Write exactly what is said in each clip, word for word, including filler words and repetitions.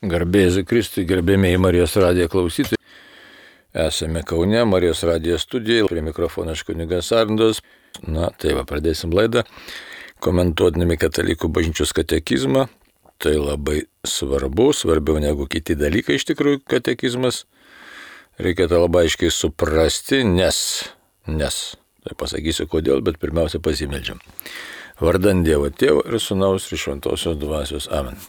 Garbėsiu Kristui, gerbėmiai Marijos radijo klausytojai. Esame Kaune, Marijos radijo studijoje, prie mikrofono aš kunigas Arnoldas. Na, tai va, pradėsim laidą, komentuodami katalikų bažnyčios katekizmą. Tai labai svarbu, svarbiau negu kiti dalykai iš tikrųjų katekizmas. Reikia tą labai aiškiai suprasti, nes, nes, tai pasakysiu kodėl, bet pirmiausia pasimeldžiam. Vardan Dievo Tėvo ir Sūnaus ir Šventosios Dvasios. Amen.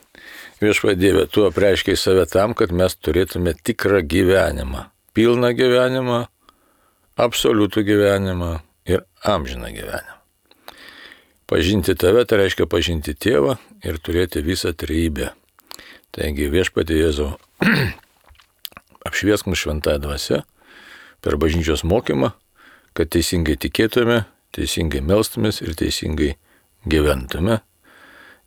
Viešpatie Dieve, tu apreiškiai save tam, kad mes turėtume tikrą gyvenimą, pilną gyvenimą, absoliutų gyvenimą ir amžiną gyvenimą. Pažinti tave, tai reiškia pažinti Tėvą ir turėti visą trejybę. Taigi Viešpatie Jėzau, apšviesk mus šventąją dvasią per bažnyčios mokymą, kad teisingai tikėtume, teisingai melstumės ir teisingai gyventume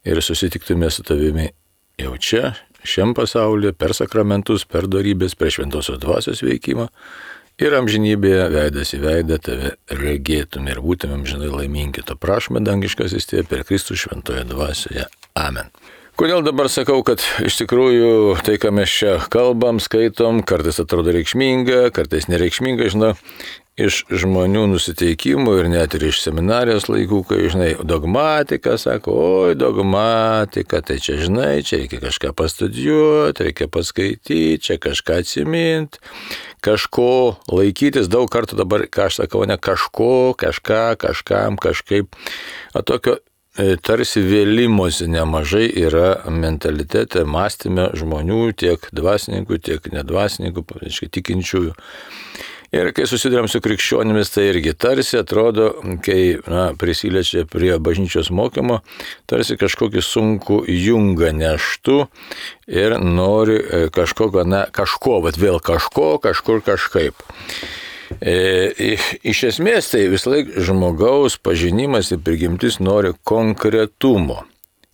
ir susitiktume su tavimi jau čia, šiam pasaulyje, per sakramentus, per dorybės, per šventosios dvasios veikimą ir amžinybėje veidas į veidą tave regėtume ir būtume amžinai laimingi. To prašome dangiškasis Tėve per Kristų šventoje dvasioje. Amen. Kodėl dabar sakau, kad iš tikrųjų tai, ką mes čia kalbam, skaitom, kartais atrodo reikšminga, kartais nereikšminga, žinau, iš žmonių nusiteikimų ir net ir iš seminarijos laikų, kai, žinai, dogmatika, sako, oi, dogmatika, tai čia, žinai, čia reikia kažką pastudijuoti, reikia paskaityti, čia kažką atsiminti, kažko laikytis, daug kartų dabar, ką aš sakau, ne kažko, kažką, kažkam, kažkaip, o tokio tarsi vėlimosi nemažai yra mentalitete, mąstyme žmonių, tiek dvasininkų, tiek nedvasininkų, aiškiai tikinčiųjų. Ir kai susidurėm su krikščionimis, tai irgi tarsi atrodo, kai na, prisiliečia prie bažnyčios mokymo, tarsi kažkokį sunkų jungą neštų ir nori kažkokio, na, kažko, bet vėl kažko, kažkur kažkaip. E, iš esmės tai vis laik žmogaus pažinimas ir prigimtis nori konkretumo.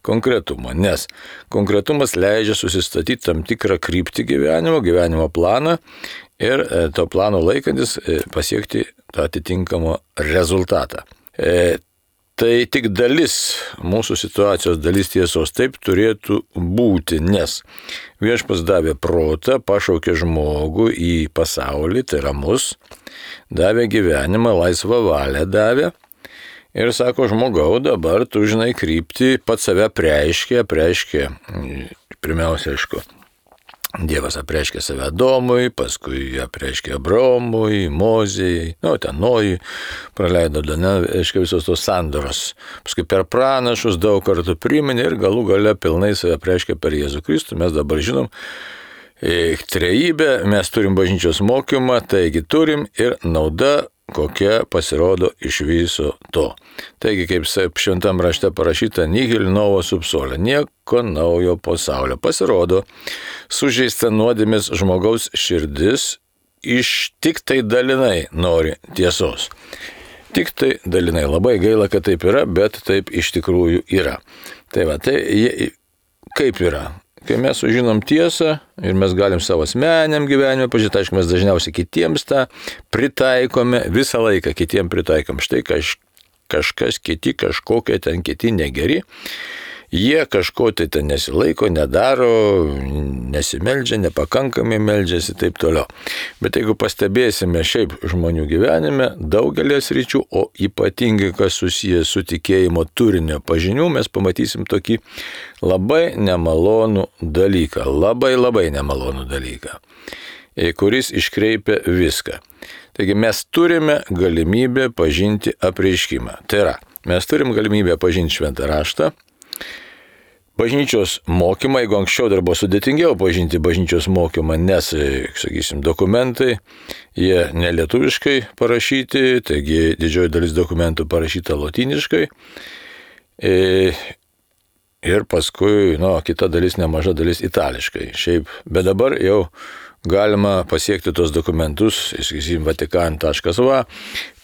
Konkretumo, nes konkretumas leidžia susistatyti tam tikrą kryptį gyvenimo, gyvenimo planą ir e, to plano laikantis e, pasiekti tą atitinkamą rezultatą. E, tai tik dalis mūsų situacijos, dalis tiesos, taip turėtų būti, nes Viešpats davė protą, pašaukė žmogų į pasaulį, tai yra mus, davė gyvenimą, laisvą valią davė ir sako, žmogau, dabar tu žinai kryptį, pats save preiškė, preiškė, pirmiausia, aišku, Dievas apreiškė save Adomui, paskui apreiškė Abraomui, Mozijai, nu, ten Nojui, praleido, ne, aiškiai visos tos sandoros. Paskui per pranašus daug kartų priminė ir galų gale pilnai save apreiškė per Jėzų Kristų. Mes dabar žinom trejybę, mes turim bažnyčios mokymą, taigi turim ir nauda, kokia pasirodo iš viso to. Taigi, kaip šventam rašte parašyta, nihil novo subsolė, nieko naujo pasaulio. Pasirodo, sužeista nuodėmės žmogaus širdis iš tik tai dalinai nori tiesos. Tik tai dalinai. Labai gaila, kad taip yra, bet taip iš tikrųjų yra. Tai va, tai kaip yra? Kai mes sužinom tiesą ir mes galim savo asmeniniam gyvenime pažiūrėti, aišku, mes dažniausiai kitiems tą pritaikome, visą laiką kitiems pritaikom. Štai kaž, kažkas kiti, kažkokie ten kiti negeri, jie kažko tai ten nesilaiko, nedaro, nesimeldžia, nepakankamai meldžiasi ir taip toliau. Bet jeigu pastebėsime šiaip žmonių gyvenime, daugelės ryčių, o ypatingai kas susijęs su tikėjimo turinio pažinių, mes pamatysim tokį labai nemalonų dalyką, labai labai nemalonų dalyką, kuris iškreipia viską. Taigi mes turime galimybę pažinti apreiškimą. Tai yra, mes turim galimybę pažinti šventą raštą, bažnyčios mokymą, jeigu anksčiau dar buvo sudėtingiau pažinti bažnyčios mokymą, nes, sakysim, dokumentai, jie nelietuviškai parašyti, taigi didžioji dalis dokumentų parašyta lotyniškai. Ir paskui, nu, kita dalis, nemaža dalis itališkai. Šiaip, bet dabar jau galima pasiekti tos dokumentus, sakysim, vatikan taškas va,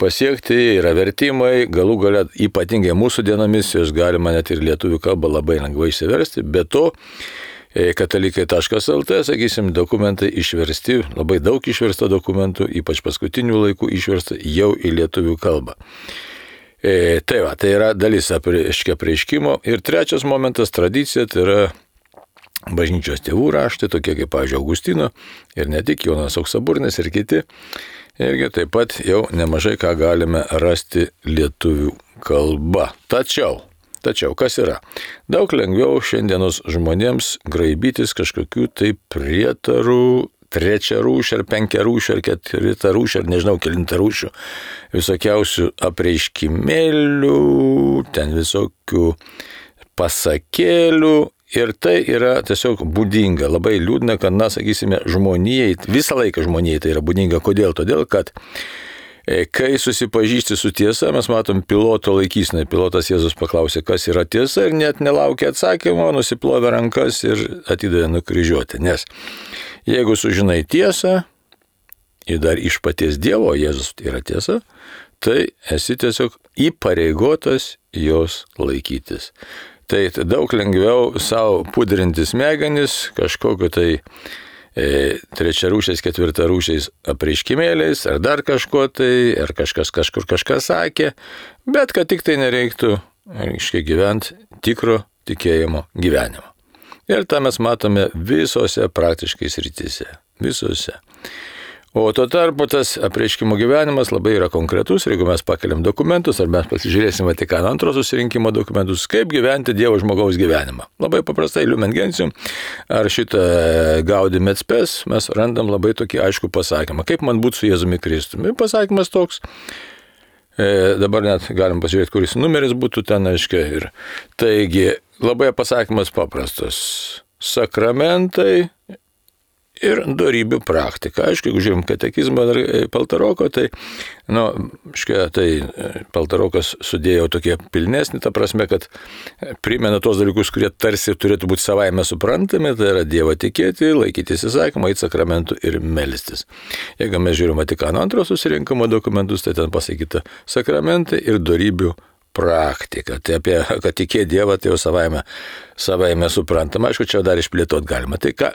pasiekti, yra vertimai, galų gale ypatingai mūsų dienomis, jos galima net ir lietuvių kalbą labai lengvai išsiversti, bet to katalikai taškas lt, sakysim, dokumentai išversti, labai daug išversta dokumentų, ypač paskutinių laikų išversta jau į lietuvių kalbą. E, tai va, tai yra dalis apreiškimo. Ir trečias momentas, tradicija, tai yra bažnyčios tėvų raštai, tokie kaip, pavyzdžiui, Augustino ir ne tik Jonas Auksaburnis ir kiti. Irgi taip pat jau nemažai ką galime rasti lietuvių kalba. Tačiau, tačiau, kas yra? Daug lengviau šiandienos žmonėms graibytis kažkokių tai prietarų, trečia rūšia ar penkia rūšia ar ketvirta rūšia ar nežinau kelinta rūšių, visokiausių apreiškimėlių, ten visokių pasakėlių. Ir tai yra tiesiog būdinga, labai liūdna, kad, na, sakysime, žmonijai, visą laiką žmonijai tai yra būdinga. Kodėl? Todėl, kad kai susipažįsti su tiesa, mes matom piloto laikysinai. Pilotas Jėzus paklausė, kas yra tiesa ir net nelaukia atsakymo, nusiplovė rankas ir atidavė nukryžiuoti. Nes jeigu sužinai tiesą ir dar iš paties Dievo, Jėzus yra tiesa, tai esi tiesiog įpareigotas jos laikytis. Tai daug lengviau savo pudrinti smegenis kažkokio tai e, trečia rūšiais, ketvirta rūšiais apreiškimėliais, ar dar kažko tai, ar kažkas kažkur kažką sakė, bet kad tik tai nereiktų, aiškiai, gyventi tikro tikėjimo gyvenimo. Ir tą mes matome visose praktiškai srityse, visose. O tuo tarpu tas apreiškimo gyvenimas labai yra konkretus, ir jeigu mes pakeliam dokumentus, ar mes pasižiūrėsim Vatikano antro susirinkimo dokumentus, kaip gyventi Dievo žmogaus gyvenimą. Labai paprastai, Lumen Gentium, ar šitą Gaudium et Spes, mes randam labai tokį aiškų pasakymą, kaip man būti su Jėzumi Kristumi. Pasakymas toks, e, dabar net galim pasižiūrėti, kuris numeris būtų ten, aiškiai. Ir taigi, labai pasakymas paprastas. Sakramentai ir dorybių praktika. Aišku, jeigu žiūrim katekizmą ar Paltaroko, tai, nu, škia, tai Paltarokas sudėjo tokie pilnesnį, ta prasme, kad primena tos dalykus, kurie tarsi turėtų būti savaime suprantami, tai yra Dievą tikėti, laikytis įsakymą, eiti sakramentų ir melstis. Jeigu mes žiūrim Vatikano antro susirinkimo dokumentus, tai ten pasakyta sakramentai ir dorybių praktika. Tai apie, kad tikė Dievą, tai jau savaime, savaime suprantama. Aišku, čia dar išplėtot galima. Tai ką,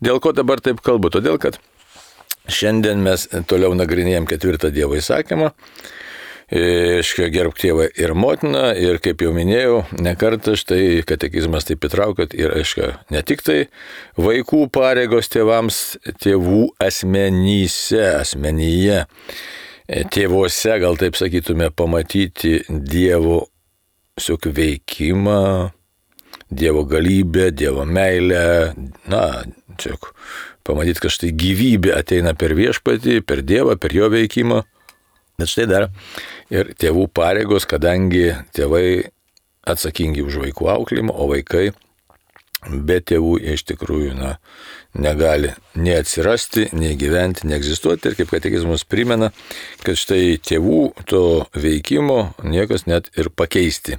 dėl ko dabar taip kalbu? Todėl, kad šiandien mes toliau nagrinėjom ketvirtą Dievo įsakymą. Iškia, gerbk tėvą ir motiną. Ir kaip jau minėjau, ne kartą štai katekizmas taip įtraukot. Ir, aiškia, ne tik tai vaikų pareigos tėvams, tėvų asmenyse, asmenyje, tėvuose, gal taip sakytume, pamatyti Dievo veikimą, Dievo galybę, Dievo meilę, na, čia pamatyti, kad štai gyvybė ateina per viešpatį, per Dievą, per jo veikimą. Bet štai dar ir tėvų pareigos, kadangi tėvai atsakingi už vaikų auklėjimą, o vaikai be tėvų iš tikrųjų, na, negali nei atsirasti, nei gyventi, nei egzistuoti. Ir kaip katekizmas primena, kad štai tėvų to veikimo niekas net ir pakeisti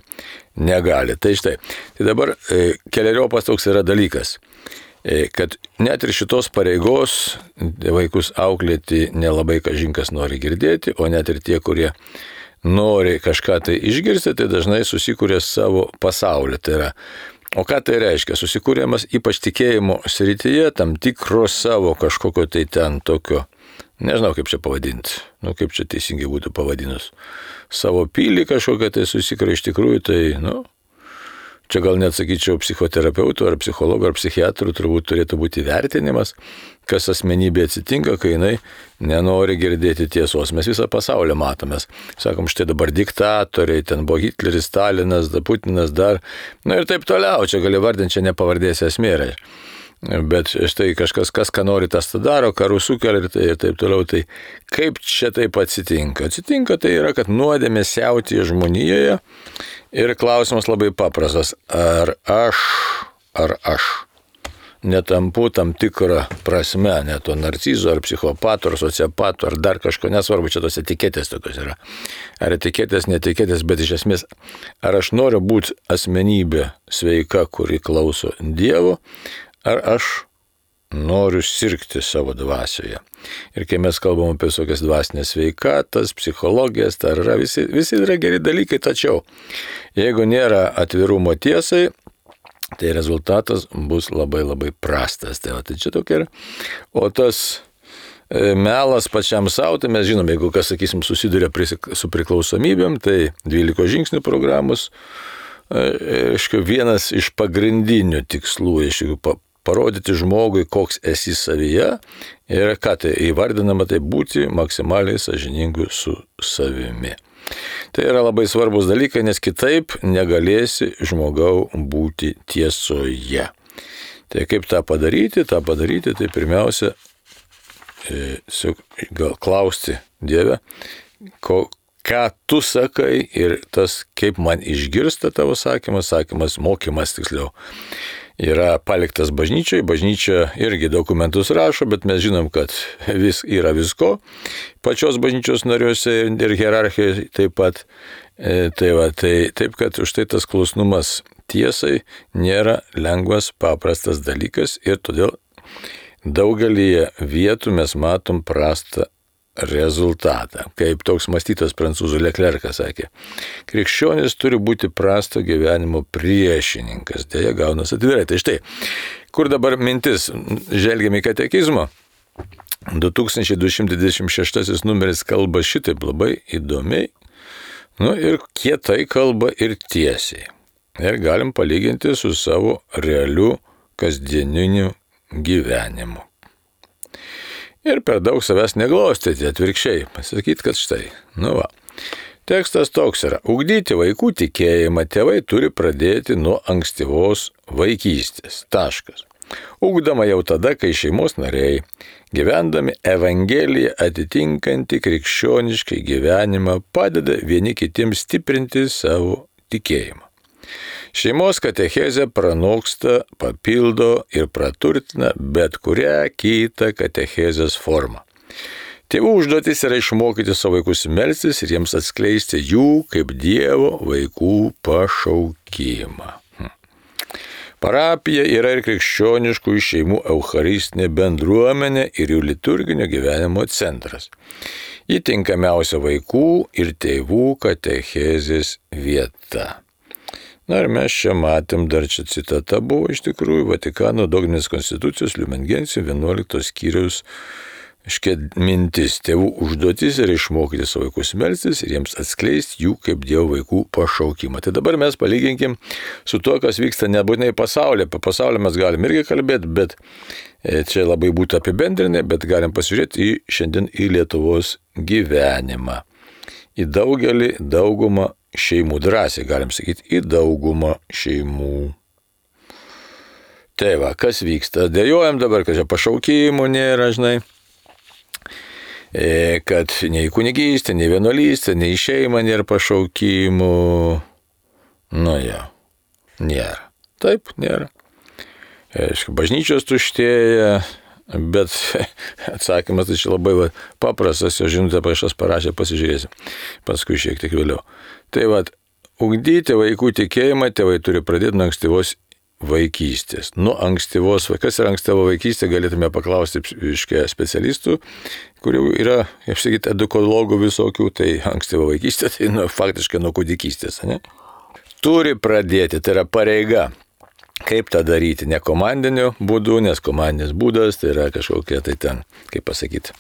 negali. Tai štai, tai dabar e, keleriopas toks yra dalykas, e, kad net ir šitos pareigos vaikus auklėti nelabai kažinkas nori girdėti, o net ir tie, kurie nori kažką tai išgirsti, tai dažnai susikūrė savo pasaulį. Tai yra, o ką tai reiškia? Susikūrėmas ypač tikėjimo srityje tam tikro savo kažkokio tai ten tokio, nežinau kaip čia pavadinti, nu kaip čia teisingai būtų pavadinus, savo pilį kažkokią tai susikūrė iš tikrųjų, tai, nu, čia gal net sakyčiau psichoterapeutų ar psichologų ar psichiatrų turbūt turėtų būti vertinimas, kas asmenybė atsitinka, kai jinai nenori girdėti tiesos. Mes visą pasaulį matomės. Sakom, štai dabar diktatoriai, ten buvo Hitleris, Stalinas, Putinas dar, na ir taip toliau, čia gali vardinti, čia nepavardėsi esmė. Bet štai kažkas, kas ką nori, tas tą daro, karų sukelia ir, tai, ir taip toliau. Tai kaip čia taip atsitinka? Atsitinka tai yra, kad nuodėmė siautėja žmonijoje ir klausimas labai paprastas. Ar aš, ar aš netampu tam tikrą prasme, ne to narcizo, ar psichopato, ar sociopato, ar dar kažko, nesvarbu, čia tos etiketės tokios yra. Ar etiketės, netiketės, bet iš esmės, ar aš noriu būti asmenybė sveika, kuri klauso Dievo, ar aš noriu sirgti savo dvasioje. Ir kai mes kalbam apie visokias dvasinės sveikatas, psichologijas, tai yra visi, visi yra geri dalykai, tačiau jeigu nėra atvirumo tiesai, tai rezultatas bus labai labai prastas. Tai, va, tai čia tokia yra. O tas melas pačiam savo, tai mes žinom, jeigu kas, sakysim, susiduria su priklausomybėm, tai dvylikos žingsnių programos, aišku, vienas iš pagrindinių tikslų, aišku, parodyti žmogui, koks esi savyje ir ką tai įvardinama, tai būti maksimaliai sąžiningu su savimi. Tai yra labai svarbus dalykai, nes kitaip negalėsi žmogau būti tiesoje. Tai kaip tą padaryti? Tą padaryti, tai pirmiausia, e, gal klausti Dieve, ko, ką tu sakai ir tas, kaip man išgirsta tavo sakymas, sakymas, mokymas tiksliau, yra paliktas bažnyčiai. Bažnyčia irgi dokumentus rašo, bet mes žinom, kad vis yra visko pačios bažnyčios nariuose ir hierarchijai taip pat. E, tai va, tai taip, kad už tai tas klusnumas tiesai nėra lengvas, paprastas dalykas ir todėl daugelį vietų mes matom prastą rezultatą. Kaip toks mąstytas prancūzų Leclercas sakė, krikščionis turi būti prasto gyvenimo priešininkas. Deja, gaunas atvirai. Tai štai, kur dabar mintis? Žvelgiame į katekizmą. du tūkstančiai du šimtai dvidešimt šeštasis numeris kalba šitaip labai įdomiai, nu ir kietai kalba ir tiesiai. Ir galim palyginti su savo realiu kasdieniniu gyvenimu. Ir per daug savęs neglostyti, atvirkščiai, pasakyti, kad štai, nu va. Tekstas toks yra, ugdyti vaikų tikėjimą tėvai turi pradėti nuo ankstyvos vaikystės. Taškas. Ugdama jau tada, kai šeimos nariai, gyvendami Evangeliją atitinkantį krikščioniškai gyvenimą, padeda vieni kitiems stiprinti savo tikėjimą. Šeimos katechezė pranoksta, papildo ir praturtina bet kurią kitą katechezės formą. Tėvų užduotis yra išmokyti savo vaikus melstis ir jiems atskleisti jų kaip Dievo vaikų pašaukimą. Parapija yra ir krikščioniškų šeimų eucharistinė bendruomenė ir jų liturginio gyvenimo centras. Ji tinkamiausia vaikų ir tėvų katechezės vieta. Na ir mes čia matėm, dar čia citata buvo iš tikrųjų Vatikano dogminės konstitucijos Lumen Gentium vienuoliktos skyriaus iškia mintis. Tėvų užduotis yra išmokyti savo vaikus melstis ir jiems atskleisti jų kaip Dievo vaikų pašaukimą. Tai dabar mes palyginkim su tuo, kas vyksta nebūtinai pasaulyje. Apie pasaulį mes galim irgi kalbėti, bet čia labai būtų apibendrinę, bet galim pasižiūrėti į šiandien į Lietuvos gyvenimą. Į daugelį, daugumą šeimų, drąsiai galim sakyti, į daugumą šeimų. Tai va, kas vyksta? Dėjojam dabar, kad čia pašaukimų nėra, žinai, kad nei kunigystė, nei vienuolystė, nei šeima nėra pašaukimų. Nu jau, nėra. Taip, nėra. Aišku, bažnyčios tuštėja, bet atsakymas tai čia labai va, paprastas, jo žinutę pašas parašė, pasižiūrėsim, paskui šiek tiek vėliau. Tai va, ugdyti vaikų tikėjimą tėvai turi pradėti nuo ankstyvos vaikystės. Nuo ankstyvos, kas yra ankstyvo vaikystė, galėtume paklausti iškia specialistų, kurių yra, kaip sakyti, edukologų visokių, tai ankstyvo vaikystė, tai nu, faktiškai nuo kūdikystės, ne? Turi pradėti, tai yra pareiga. Kaip tą daryti? Ne komandiniu būdu, nes komandinis būdas tai yra kažkokia tai ten, kaip pasakyti,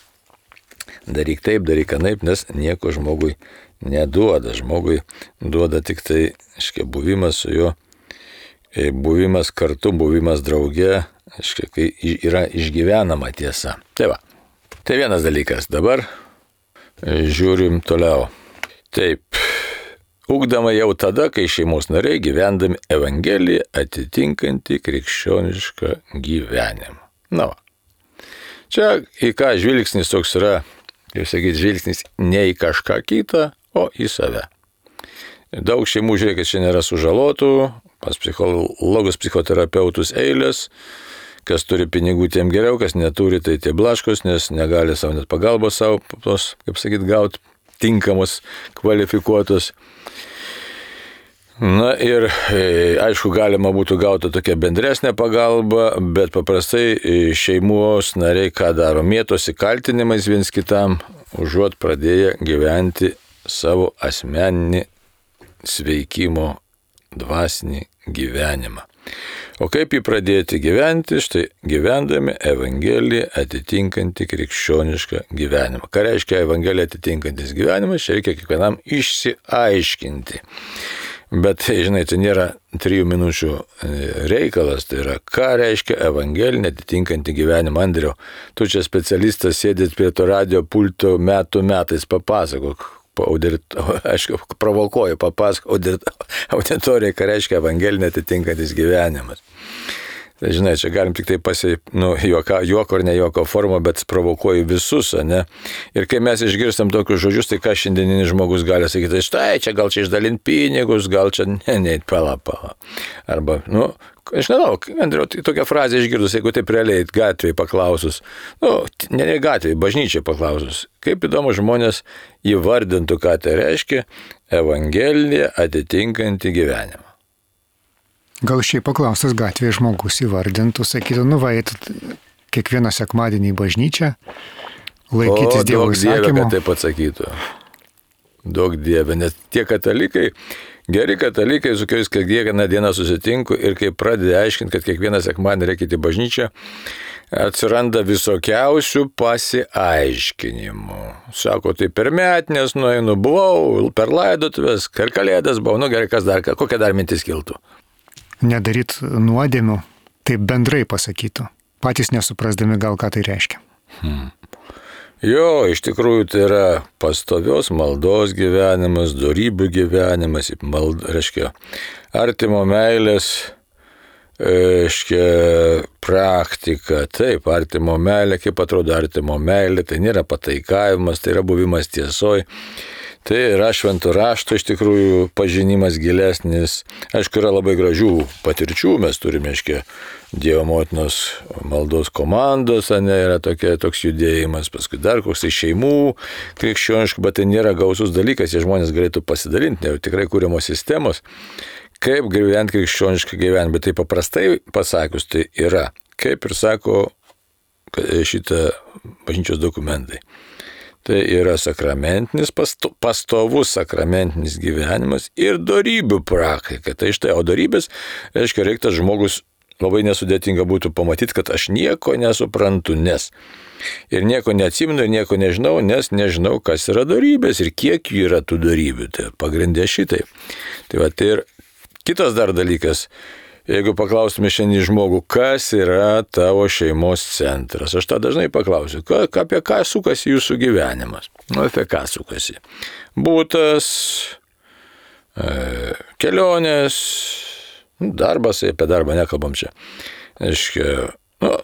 daryk taip, daryk anaip, nes nieko žmogui neduoda. Žmogui duoda tik tai, aiškiai, buvimas su juo, buvimas kartu, buvimas drauge, aiškiai, kai yra išgyvenama tiesa. Tai va, tai vienas dalykas. Dabar žiūrim toliau. Taip. Ugdama jau tada, kai šeimos nariai gyvendami Evangeliją atitinkantį krikščionišką gyvenimą. Na va. Čia į ką žvilgsnis toks yra, kaip sakyti, žvilgsnis ne į kažką kitą, o į save. Daug šeimų, žiūrėkit, čia nėra sužalotų, pas psichologus, psichoterapeutus eilės, kas turi pinigų, tiem geriau, kas neturi, tai tie blaškos, nes negali savo net pagalbos savo, tos, kaip sakyti, gauti tinkamos, kvalifikuotos. Na ir aišku, galima būtų gauti tokią bendresnę pagalbą, bet paprastai šeimos nariai ką daro? Mėtosi kaltinimais viens kitam, užuot pradėję gyventi savo asmeninį sveikimo dvasinį gyvenimą. O kaip jį pradėti gyventi? Štai gyvendami Evangeliją atitinkantį krikščionišką gyvenimą. Ką reiškia Evangeliją atitinkantis gyvenimas? Čia reikia kiekvienam išsiaiškinti. Bet, žinai, tai nėra trijų minučių reikalas, tai yra, ką reiškia evangelinė atitinkanti gyvenimą. Andriau, tu čia specialistas sėdėt prie to radio pulto metų metais, papasakok, audit, aišku, provokuoju, papasakok auditorijai, ką reiškia evangelinė atitinkantis gyvenimas. Tai, žinai, čia galim tik tai pasi, nu, juoko, juoko ar ne juoko formą, bet provokuoju visus, ne? Ir kai mes išgirstam tokius žodžius, tai ką šiandieninis žmogus gali sakyti, štai, čia gal čia išdalint pinigus, gal čia, ne, ne, pala, pala. Arba, nu, aš nežinau, Andriau, tai tokią frazę išgirdus, jeigu taip realiai gatvėje paklausus, nu, ne, ne gatvėje, bažnyčiai paklausus, kaip įdomu žmonės įvardintų, ką tai reiškia evangelija atitinkanti gyvenimą. Gal šiaip paklaustas gatvėje žmogus įvardintų, sakytų, nu va, kiekvieną sekmadienį į bažnyčią, laikytis Dievo įsakymų. O, daug Dieve, kad taip atsakytų. Daug Dieve, nes tie katalikai, geri katalikai, su kuriais kiekvieną dieną susitinku ir kai pradeda aiškinti, kad kiekvieną sekmadienį reikia į bažnyčią, atsiranda visokiausių pasiaiškinimų. Sako, tai per metinės nueinu, buvau, per laidotuvės, per kalėdas buvau, nu gerai, kas dar, kokia dar mintis kiltų. Nedaryt nuodėmių, taip bendrai pasakytų, patys nesuprasdami gal ką tai reiškia. Hmm. Jo, iš tikrųjų tai yra pastovios maldos gyvenimas, dorybių gyvenimas, mald, reiškia, artimo meilės, reiškia, praktika, taip, artimo meilė, kaip atrodo artimo meilė, tai nėra pataikavimas, tai yra buvimas tiesoj. Tai yra švento rašto iš tikrųjų pažinimas gilesnis. Aišku, yra labai gražių patirčių, mes turime, aiškiai, Dievo motinos maldos komandos, ne, yra tokia, toks judėjimas, paskui dar koks tai šeimų krikščioniškų, bet tai nėra gausus dalykas, jie žmonės galėtų pasidalinti, ne, tikrai kūriamos sistemos, kaip gyventi krikščionišką gyvenimą, bet tai paprastai pasakius, tai yra, kaip ir sako šitą bažnyčios dokumentai. Tai yra sakramentinis, pasto, pastovus sakramentinis gyvenimas ir dorybių praktika. Tai štai, o dorybės, reiškia, reiktas žmogus labai nesudėtinga būtų pamatyti, kad aš nieko nesuprantu, nes ir nieko neatsimenu, ir nieko nežinau, nes nežinau, kas yra dorybės ir kiek jų yra tų dorybių. Tai pagrindė šitai. Tai va, tai ir kitas dar dalykas. Jeigu paklaustume šiandien žmogų, kas yra tavo šeimos centras, aš tą dažnai paklausiu, ką, apie ką sukasi jūsų gyvenimas. Nu, apie ką sukasi. Būtas, e, kelionės, darbas, apie darbą nekalbam čia. Aiškia, nu,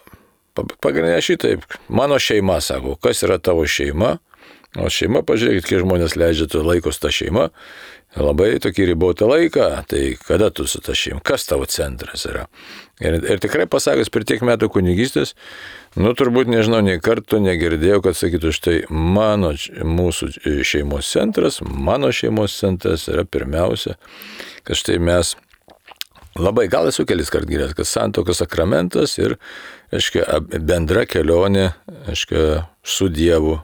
pagrindinė šitaip, mano šeima, sako, kas yra tavo šeima, o šeima, pažiūrėkit, kiek žmonės leidžia tu laikos tą šeimą, labai tokį ribotą laiką, tai kada tu su ta šeima, kas tavo centras yra. Ir, ir tikrai pasakęs per tiek metų kunigystės, nu turbūt nežinau, nei kartų negirdėjau, kad sakytų, štai mano, mūsų šeimos centras, mano šeimos centras yra pirmiausia, kad štai mes labai, gal esu kelis kart girdėjęs, kad santuokos sakramentas ir, aiškia, bendra kelionė, aiškia, su Dievu,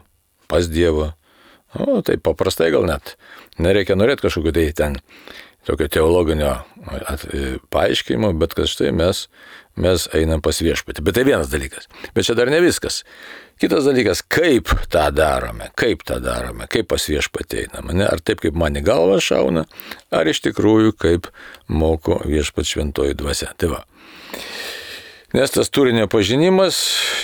pas Dievą. O, tai paprastai gal net. Nereikia norėti kažkokio tai ten tokio teologinio paaiškinimo, bet kad štai mes, mes einam pas viešpatį. Bet tai vienas dalykas. Bet čia dar ne viskas. Kitas dalykas, kaip tą darome, kaip tą darome, kaip pas viešpatį einam. Ne? Ar taip, kaip man į galvą šauna, ar iš tikrųjų, kaip moko viešpats šventoji dvasia. Tai va. Nes tas turinio pažinimas,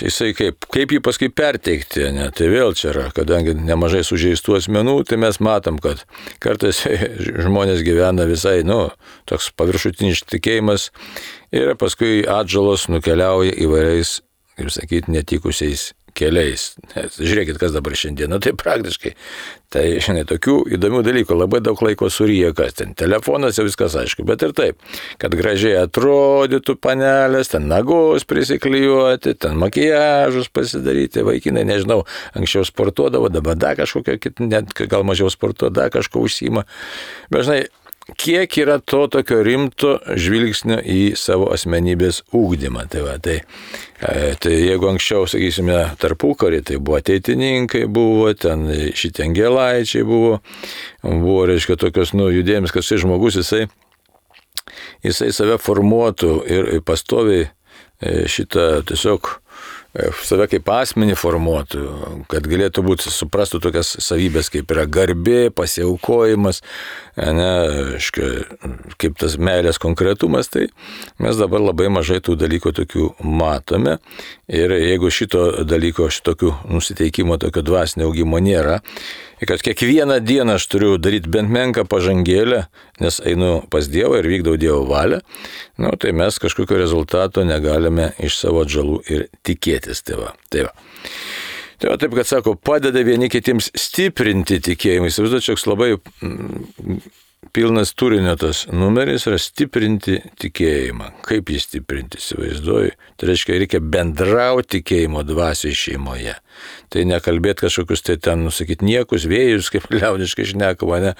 jisai kaip, kaip jį paskui perteikti, ne? Tai vėl čia yra, kadangi nemažai sužeistų asmenų, tai mes matom, kad kartais žmonės gyvena visai, nu, toks paviršutinis tikėjimas ir paskui atžalos nukeliauja įvairiais, kaip sakyti, netikusiais keliais. Nes, žiūrėkit, kas dabar šiandieną, tai praktiškai. Tai, žinai, tokių įdomių dalykų, labai daug laiko suryja, kas ten. Telefonas jau viskas aišku, bet ir taip, kad gražiai atrodytų panelės, ten nagus prisiklijuoti, ten makijažus pasidaryti, vaikinai, nežinau, anksčiau sportuodavo, dabar dar kažkokio, net gal mažiau sportuodavo, dar kažko užsiima. Bet, žinai, kiek yra to tokio rimto žvilgsnio į savo asmenybės ugdymą. Tai, va, tai, tai jeigu anksčiau, sakysime, tarpukarį, tai buvo ateitininkai, buvo ten šitie angelaičiai, buvo, buvo, reiškia, tokios, nu, judėjimas, kad šis žmogus, jisai, jisai save formuotų ir pastoviai šitą tiesiog save kaip asmenį formuotų, kad galėtų būti, suprastų tokias savybės, kaip yra garbė, pasiaukojimas, ne, aiškia, kaip tas meilės konkretumas, tai mes dabar labai mažai tų dalykų tokių matome. Ir jeigu šito dalyko, šitokių nusiteikimo, tokio dvasinio augimo nėra, kad kiekvieną dieną aš turiu daryti bent menką pažangėlę, nes einu pas Dievą ir vykdau Dievo valią, nu, tai mes kažkokio rezultato negalime iš savo atžalų ir tikėtis. Tai va, tai va. Tai va, taip, kad sako, padeda vieni kitiems stiprinti tikėjimą. Įsivaizduoju, čia labai mm, pilnas turinio tas numeris yra stiprinti tikėjimą. Kaip jį stiprinti, įsivaizduoju. Tai reiškia, reikia bendrauti tikėjimo dvasiai šeimoje. Tai nekalbėti kažkokius, tai ten, nusakyti, niekus, vėjus, kaip liaudiškai šnekama, ne,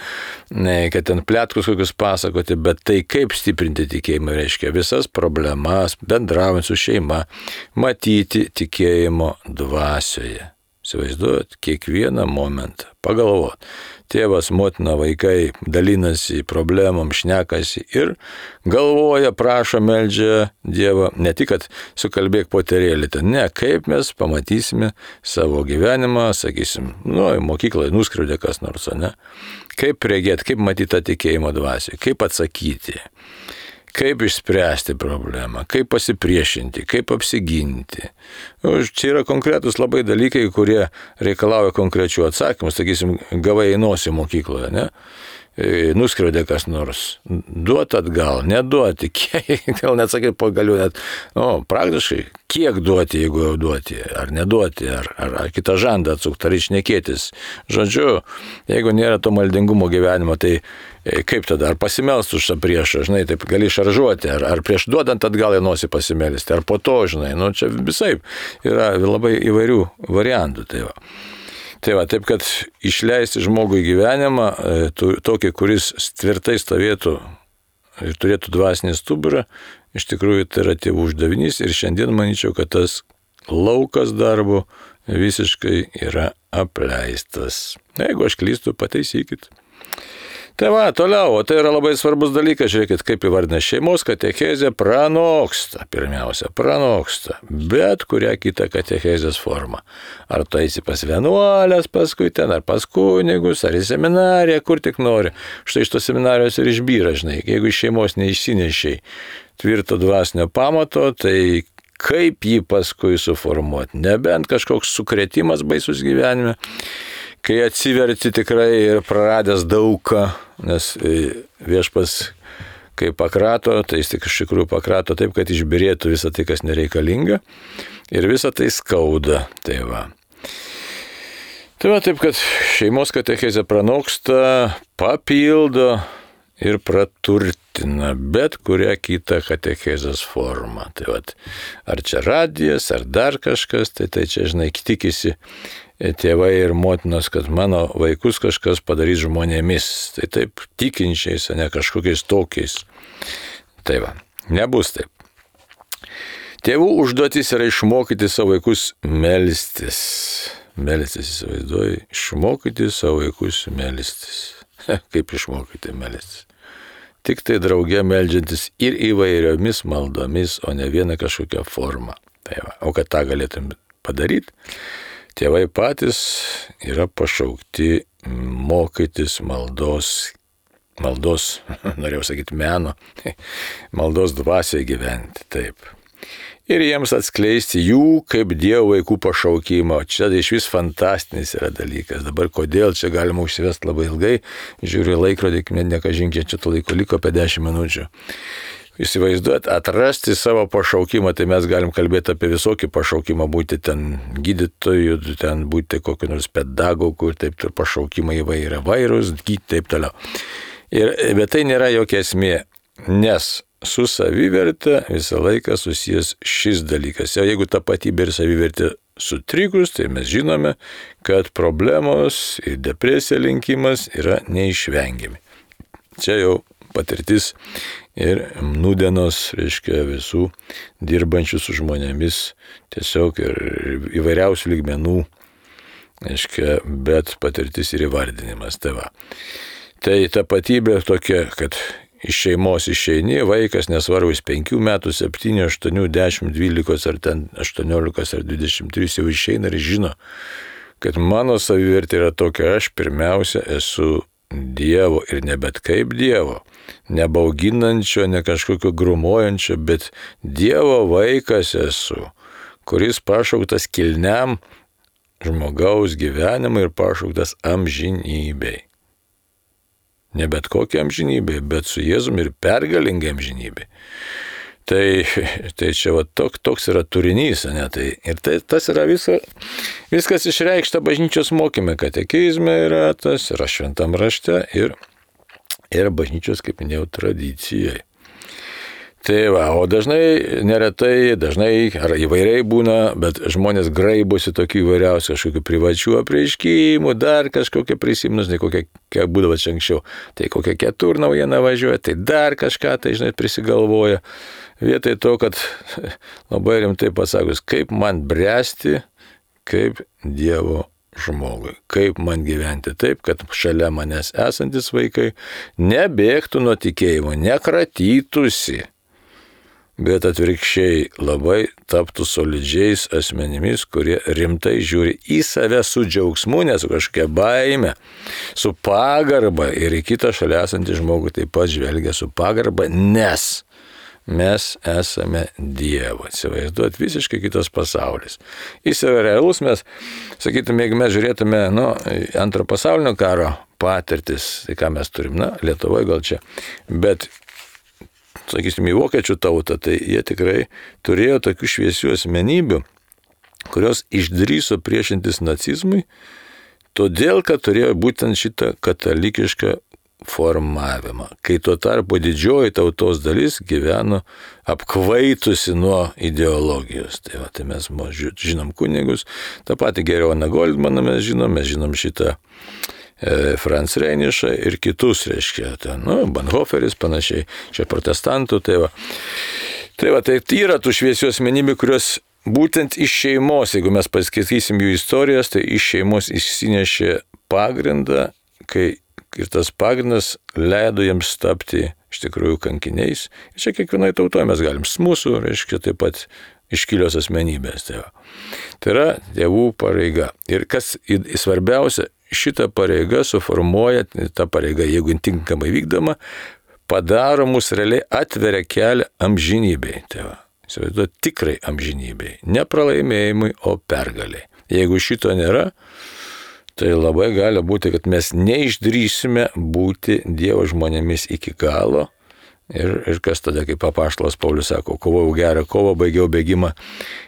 ne, kad ten plėtkus kokius pasakoti, bet tai kaip stiprinti tikėjimą, reiškia visas problemas, bendraujant su šeima, matyti tikėjimo dvasioje. Įsivaizduojat, kiekvieną momentą, pagalvot. Tėvas, motina, vaikai dalinasi problemom, šnekasi ir galvoja, prašo, meldžia Dievą. Ne tik, kad sukalbėk poterėlį, ne, kaip mes pamatysime savo gyvenimą, sakysim, nu, mokyklai nuskriaudė kas nors, ne? Kaip regėti, kaip matyti tą tikėjimo dvasią, kaip atsakyti. Kaip išspręsti problemą, kaip pasipriešinti, kaip apsiginti. Čia yra konkretus labai dalykai, kurie reikalauja konkrečių atsakymų. Sakysim, gavai į nosį mokykloje, ne? Nuskriaudė kas nors. Duot atgal, neduoti, kiek, gal net sakyti, pagaliu net, nu, praktiškai, kiek duoti, jeigu jau duoti, ar neduoti, ar, ar, ar kitą žandą atsukti, ar išnekėtis. Žodžiu, jeigu nėra to maldingumo gyvenimo, tai kaip tada, ar pasimelst už tą priešą, žinai, taip gali šaržuoti, ar, ar prieš duodant atgal į nosį pasimelsti, ar po to, žinai, nu, čia visai yra labai įvairių variantų, tai va. Tai va, taip, kad išleisti žmogų į gyvenimą, tokį, kuris tvirtai stovėtų ir turėtų dvasinį stuburą, iš tikrųjų tai yra tėvų uždavinys ir šiandien manyčiau, kad tas laukas darbo visiškai yra apleistas. Jeigu aš klystu, pataisykit. Tai va, toliau, o tai yra labai svarbus dalykas, žiūrėkit, kaip įvardina šeimos katechezė pranoksta, pirmiausia, pranoksta, bet kurią kitą katechezės formą. Ar tu eisi pas vienuolės paskui ten, ar pas kunigus, ar į seminariją, kur tik nori. Štai iš tos seminarijos ir išbyra, žinai, jeigu iš šeimos neišsinešiai tvirto dvasinio pamato, tai kaip jį paskui suformuoti, nebent kažkoks sukrėtimas baisus gyvenime, kai atsiverti tikrai ir praradęs daugą, nes viešpas, kai pakrato, tai jis tik iš tikrųjų pakrato taip, kad išbirėtų visą tai, kas nereikalinga, ir visą tai skauda. Tai va. Tai va taip, kad šeimos katechezė pranoksta, papildo ir praturtina bet kurią kitą katechezės formą. Tai va, ar čia radijas, ar dar kažkas, tai, tai čia, žinai, tikisi tėvai ir motinos, kad mano vaikus kažkas padarys žmonėmis. Tai taip tikinčiais, ne kažkokiais tokiais. Tai va, nebus taip. Tėvų užduotis yra išmokyti savo vaikus melstis. Melstis, įsivaizduoju, išmokyti savo vaikus melstis. Kaip išmokyti melstis? Tik tai drauge meldžiantis ir įvairiomis maldomis, o ne viena kažkokia forma. Tai va, o kad tą galėtum padaryti, tėvai patys yra pašaukti mokytis maldos, maldos, norėjau sakyti meno, maldos dvasioje gyventi, taip. Ir jiems atskleisti jų kaip Dievo vaikų pašaukimą. Čia iš vis fantastinis yra dalykas. Dabar kodėl čia galima užsivesti labai ilgai, žiūriu laikrodį, nekažinkiai čia to laiko liko apie dešimt minučių. Įsivaizduot, atrasti savo pašaukimą, tai mes galim kalbėti apie visokį pašaukimą, būti ten gydytojų, ten būti kokiu nors pedagogu, taip ir pašaukimai įvairia vairūs, taip toliau. Ir, bet tai nėra jokia esmė, nes su savivertė visą laiką susijęs šis dalykas. O jeigu tapatybė ir savivertė sutrikus, tai mes žinome, kad problemos ir depresija linkimas yra neišvengiami. Čia jau patirtis ir nūdienos, reiškia, visų dirbančių su žmonėmis, tiesiog ir įvairiausių lygmenų, reiškia, bet patirtis ir įvardinimas. Tai va. Tai tapatybė tokia, kad iš šeimos išeini, vaikas nesvarbu, jis penkių metų, septynių, aštuonių, dešimt, dvylikos ar ten aštuoniolikos ar dvidešimt trys jau išeina ir žino, kad mano savivertė yra tokia, aš pirmiausia esu Dievo ir ne bet kaip Dievo, ne bauginančio, ne kažkokio grumuojančio, bet Dievo vaikas esu, kuris pašauktas kilniam žmogaus gyvenimui ir pašauktas amžinybei. Ne bet kokia amžinybė, bet su Jėzumi ir pergalingai amžinybė. Tai, tai čia va, tok, toks yra turinys, ne? Tai, ir tai, tas yra visa, viskas išreikšta bažnyčios mokyme, katekizme yra tas, yra šventam rašte ir, ir bažnyčios, kaip minėjau, tradicijai. Tai va, o dažnai, neretai, dažnai ar įvairiai būna, bet žmonės graibosi tokių įvairiausių kažkokių privačių apreiškimų, dar kažkokie prisimnus, ne kokie, kiek būdavo čia anksčiau, tai kokia ketur naujiena važiuoja, tai dar kažką, tai žinai, prisigalvoja. Vietoj to, kad labai rimtai pasakus, kaip man bręsti, kaip Dievo žmogui, kaip man gyventi taip, kad šalia manęs esantis vaikai nebėgtų nuo tikėjimo, nekratytųsi, bet atvirkščiai labai taptų solidžiais asmenimis, kurie rimtai žiūri į save su džiaugsmu, ne su kažkokia baime, su pagarba ir į kitą šalia esantį žmogų taip pat žvelgia su pagarba, nes mes esame Dievo. Įsivaizduot, visiškai kitas pasaulis. Jis yra realus, mes, sakytume, jeigu mes žiūrėtume, nu, antro pasaulinio karo patirtis, tai ką mes turim, na, Lietuvoje gal čia, bet sakysim, į vokiečių tautą, tai jie tikrai turėjo tokių šviesių asmenybių, kurios išdrįso priešintis nacizmui, todėl, kad turėjo būtent šitą katalikišką formavimą, kai tuo tarpu didžioji tautos dalis gyveno apkvaitusi nuo ideologijos. Tai, va, tai mes žinom kunigus, tą patį Gerioną Goldmaną mes žinom, mes žinom šitą e, Franz Reinišą ir kitus, reiškia, ten, nu, Bonhoefferis panašiai, čia protestantų, tai va. Tai va, tai yra tų šviesių asmenybių, kurios būtent iš šeimos, jeigu mes paskaitysim jų istorijas, tai iš šeimos išsinešė pagrindą, kai ir tas pagrindas leido jiems tapti iš tikrųjų kankiniais. Ir čia kiekvienoje tautoje mes galim, mūsų, reiškia, taip pat iškilios asmenybės. Tai, tai yra tėvų pareiga. Ir kas svarbiausia, šita pareiga suformuoja, ta pareiga, jeigu tinkamai vykdoma, padaro mus realiai, atveria kelią amžinybei. Tai va, įsivaizduot, tikrai amžinybei. Ne pralaimėjimui, o pergaliai. Jeigu šito nėra, tai labai gali būti, kad mes neišdrįsime būti Dievo žmonėmis iki galo. Ir, ir kas tada, kaip apaštalas Paulius sako, kovojau gerą kovą, baigiau bėgimą,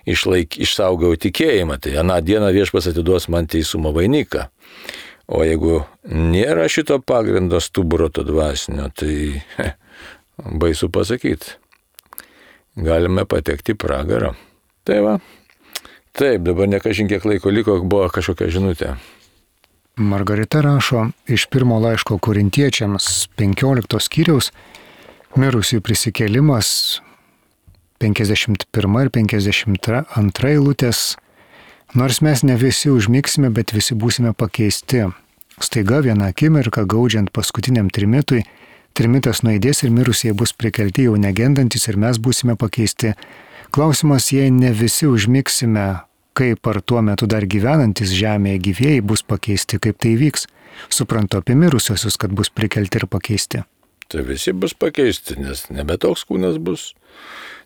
išlaik, išsaugau tikėjimą. Tai aną dieną Viešpats atiduos man teisumo vainiką. O jeigu nėra šito pagrindo stuburo to dvasinio, tai he, baisu pasakyti. Galime patekti į pragarą. Tai va. Taip, dabar nekažin kiek laiko liko, buvo kažkokia žinutė. Margarita rašo iš pirmo laiško korintiečiams penkioliktos skyriaus mirusių prisikėlimas penkiasdešimt pirma ir penkiasdešimt antra eilutės. Nors mes ne visi užmigsime, bet visi būsime pakeisti. Staiga vieną akimirką gaudžiant paskutiniam trimitui, trimitas nuaidės ir mirusieji bus prikelti jau negendantis ir mes būsime pakeisti. Klausimas, jei ne visi užmigsime, kaip ar tuo metu dar gyvenantis žemėje gyvėjai bus pakeisti, kaip tai vyks. Suprantu apie mirusiosius, kad bus prikelti ir pakeisti. Tai visi bus pakeisti, nes nebe toks kūnas bus.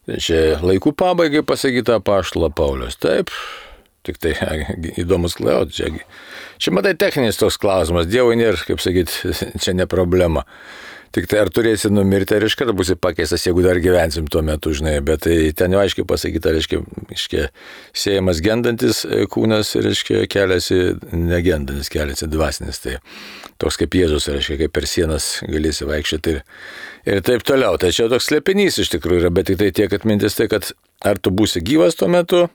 Tai čia laikų pabaigai pasakyta apaštalo Paulius. Taip, tik tai įdomus klausimas. Čia, čia matai techninis toks klausimas. Dievui nėra, kaip sakyti, čia ne problema. Tik tai ar turėsi numirti, ar iškart būsi pakeistas, jeigu dar gyvensim tuo metu, žinai, bet tai ten jau aiškiai pasakyta, reiškia, reiškia siejamas gendantis kūnas, reiškia, keliasi negendantis, keliasi dvasinis, tai toks kaip Jėzus, reiškia, kaip per sienas galėsi vaikščioti ir, ir taip toliau. Tai čia toks slėpinys iš tikrųjų yra, bet tik tai tiek atmintis tai, kad ar tu būsi gyvas tuo metu,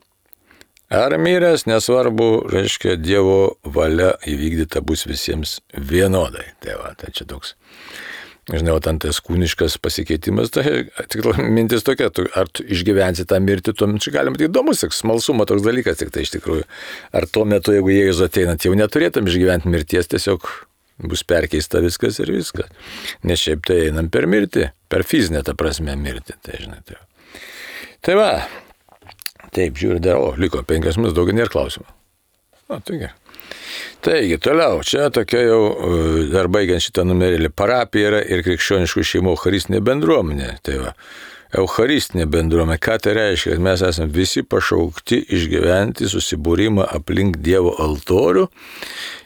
ar miręs, nesvarbu, reiškia, Dievo valia įvykdyta bus visiems vienodai. Tai va, tai čia toks. Žinau, ten tas kūniškas pasikeitimas, tai tik mintis tokia, tu, ar tu išgyvensi tą mirtį, tuo metu galim būti įdomus, smalsumo toks dalykas, tik tai iš tikrųjų. Ar tuo metu, jeigu Jėzus ateinant, jau neturėtum išgyventi mirties, tiesiog bus perkeista viskas ir viskas. Nes šiaip tai einam per mirtį, per fizinę tą prasme mirtį. Tai, žinai, tai. Tai va, taip, žiūrė, dar, o, liko penkias minutės, daugiau nėra klausimų. O, tai gerai. Taigi, toliau, čia tokia jau, dar baigiant šitą numerėlį, parapija yra ir krikščioniškų šeimų eucharistinė bendruomenė. Tai va, eucharistinė bendruomenė, ką tai reiškia, kad mes esame visi pašaukti išgyventi susibūrimą aplink Dievo altorių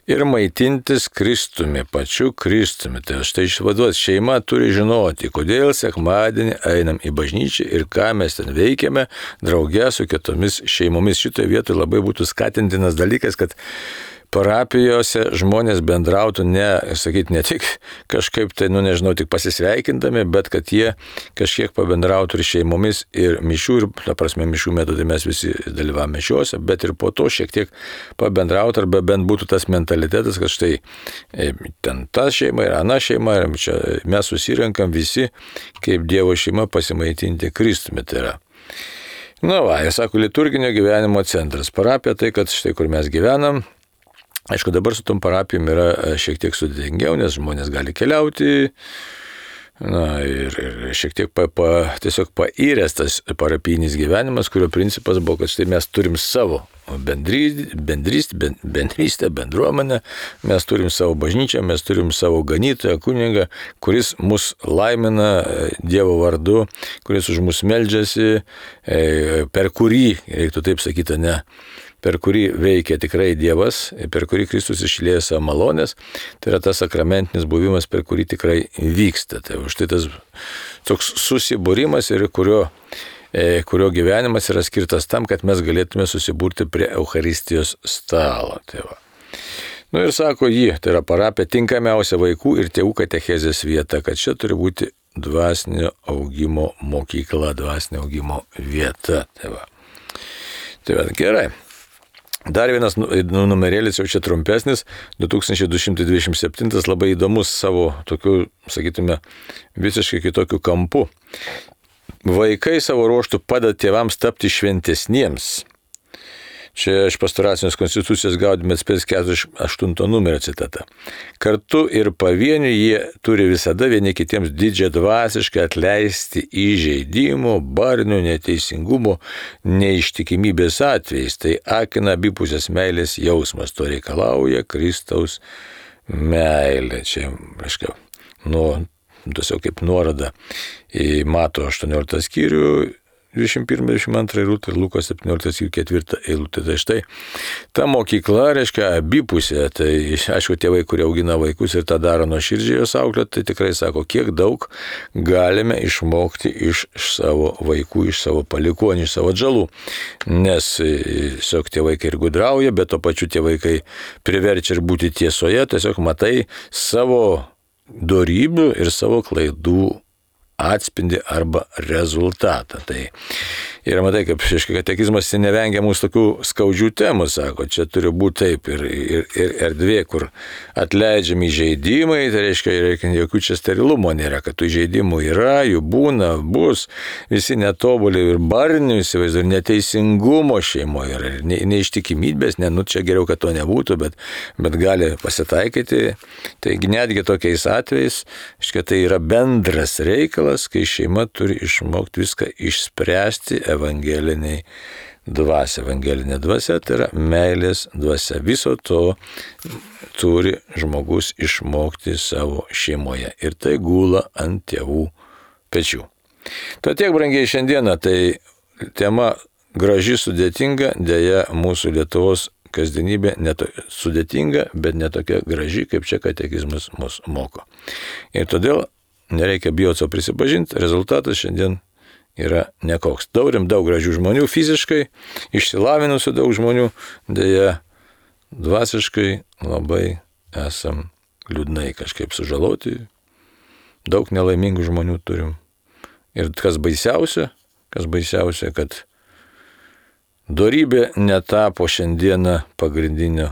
ir maitintis Kristumi, pačiu Kristumi. Tai štai išvaduot, šeima turi žinoti, kodėl sekmadienį einam į bažnyčią ir ką mes ten veikiame drauge su kitomis šeimomis. Šitoje vietoje labai būtų skatintinas dalykas, kad parapijose žmonės bendrautų ne, sakyti, ne tik kažkaip tai, nu nežinau, tik pasisveikindami, bet kad jie kažkiek pabendrautų ir šeimomis ir mišių, ir, ta prasme, mišių metu tai mes visi dalyvavome mišiuose, bet ir po to šiek tiek pabendrautų, arba bent būtų tas mentalitetas, kad štai ten ta šeima ir ana šeima, ir čia mes susirenkam visi kaip Dievo šeima pasimaitinti Kristumi. Tai yra. Na va, jis sako, liturginio gyvenimo centras. Parapija tai, kad štai kur mes gyvenam. Aišku, dabar su tom parapijom yra šiek tiek sudėtingiau, nes žmonės gali keliauti, na, ir, ir šiek tiek pa, pa, tiesiog pairęs tas parapijinis gyvenimas, kurio principas buvo, kad štai mes turim savo bendrystę, bendrystę, bendrystę, bendruomenę, mes turim savo bažnyčią, mes turim savo ganytoją, kunigą, kuris mus laimina Dievo vardu, kuris už mus meldžiasi, per kurį, reiktų taip sakyti, ne, per kurį veikia tikrai Dievas, per kurį Kristus išlieja savo malonės, tai yra tas sakramentinis buvimas, per kurį tikrai vyksta. Tai štai tas toks susibūrimas ir kurio, e, kurio gyvenimas yra skirtas tam, kad mes galėtume susiburti prie Eucharistijos stalo. Tai va. Nu ir sako jį, tai yra parapija tinkamiausia vaikų ir tėvų katechezės vieta, kad čia turi būti dvasinio augimo mokykla, dvasinio augimo vieta. Tai va. Tai va, gerai. Dar vienas numerėlis, jau čia trumpesnis, du tūkstančiai du šimtai dvidešimt septyni, labai įdomus savo tokiu, sakytume, visiškai kitokiu kampu. Vaikai savo ruoštų padeda tėvams tapti šventesniems. Čia iš pastoracinės konstitucijos Gaudium et Spes keturiasdešimt aštunto numerio citata. Kartu ir pavieniui jie turi visada vieni kitiems didžią dvasiškai atleisti įžeidimo, barnių, neteisingumo, neištikimybės atvejais. Tai akina abipusės meilės jausmas, to reikalauja Kristaus meilė. Čia, aiškiau, nu, tiesiog kaip nuoroda į Mato aštuonioliktą skyrių, dvidešimt pirmą dvidešimt antrą eilutę ir Lukos septynioliktą skyrių ketvirtą eilutę. Tai štai ta mokykla reiškia abipusė. Tai aišku, tėvai, kurie augina vaikus ir tą daro nuoširdžiai jos auklėti, tai tikrai sako, kiek daug galime išmokti iš savo vaikų, iš savo palikonių, iš savo atžalų. Nes tiesiog tie vaikai ir gudrauja, bet to pačiu tie vaikai priverčia ir būti tiesoje, tiesiog matai savo dorybių ir savo klaidų atspindi arba rezultatą. Tai ir matai, kaip šeškai katekizmas nevengia mūsų tokių skaudžių temų, sako, čia turi būti taip ir, ir, ir erdvė, kur atleidžiami įžeidimai, tai reiškia, reikia jokių čia sterilumo nėra, kad tų įžeidimų yra, jų būna, bus, visi netobulį ir barnių, įsivaizduoju, ir neteisingumo šeimoje, ir ne, neištikimybės, ne, nu čia geriau, kad to nebūtų, bet, bet gali pasitaikyti. Taigi netgi tokiais atvejais, reiškia, tai yra bendras reikalas, kai šeima turi išmokti viską išspręsti evangeliniai dvasia. Evangelinė dvasia tai yra meilės dvasia. Viso to turi žmogus išmokti savo šeimoje. Ir tai gula ant tėvų pečių. Tad tiek, brangiai, šiandieną. Tai tema graži, sudėtinga, dėja mūsų Lietuvos kasdienybė neto, sudėtinga, bet netokia graži, kaip čia katekizmas mus moko. Ir todėl nereikia bijoti savo prisipažinti, rezultatas šiandien yra nekoks. Turim daug gražių žmonių fiziškai, išsilavinusių daug žmonių, dėja dvasiškai labai esam liūdnai kažkaip sužaloti, daug nelaimingų žmonių turim. Ir kas baisiausia, kas baisiausia, kad dorybė netapo šiandieną pagrindinio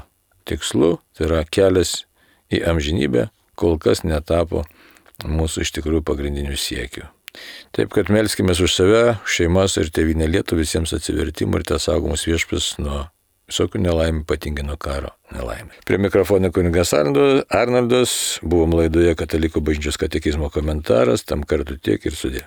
tikslu, tai yra kelias į amžinybę, kol kas netapo mūsų iš tikrųjų pagrindinių siekių. Taip, kad melskimės už save, šeimas ir tėvynę Lietuvą, visiems atsivertimų ir te saugomus viešpats nuo visokių nelaimų, ypatingai nuo karo nelaimų. Prie mikrofono kunigas Arnoldas, buvom laidoje Katalikų bažnyčios katekizmo komentaras, tam kartu tiek ir sudė.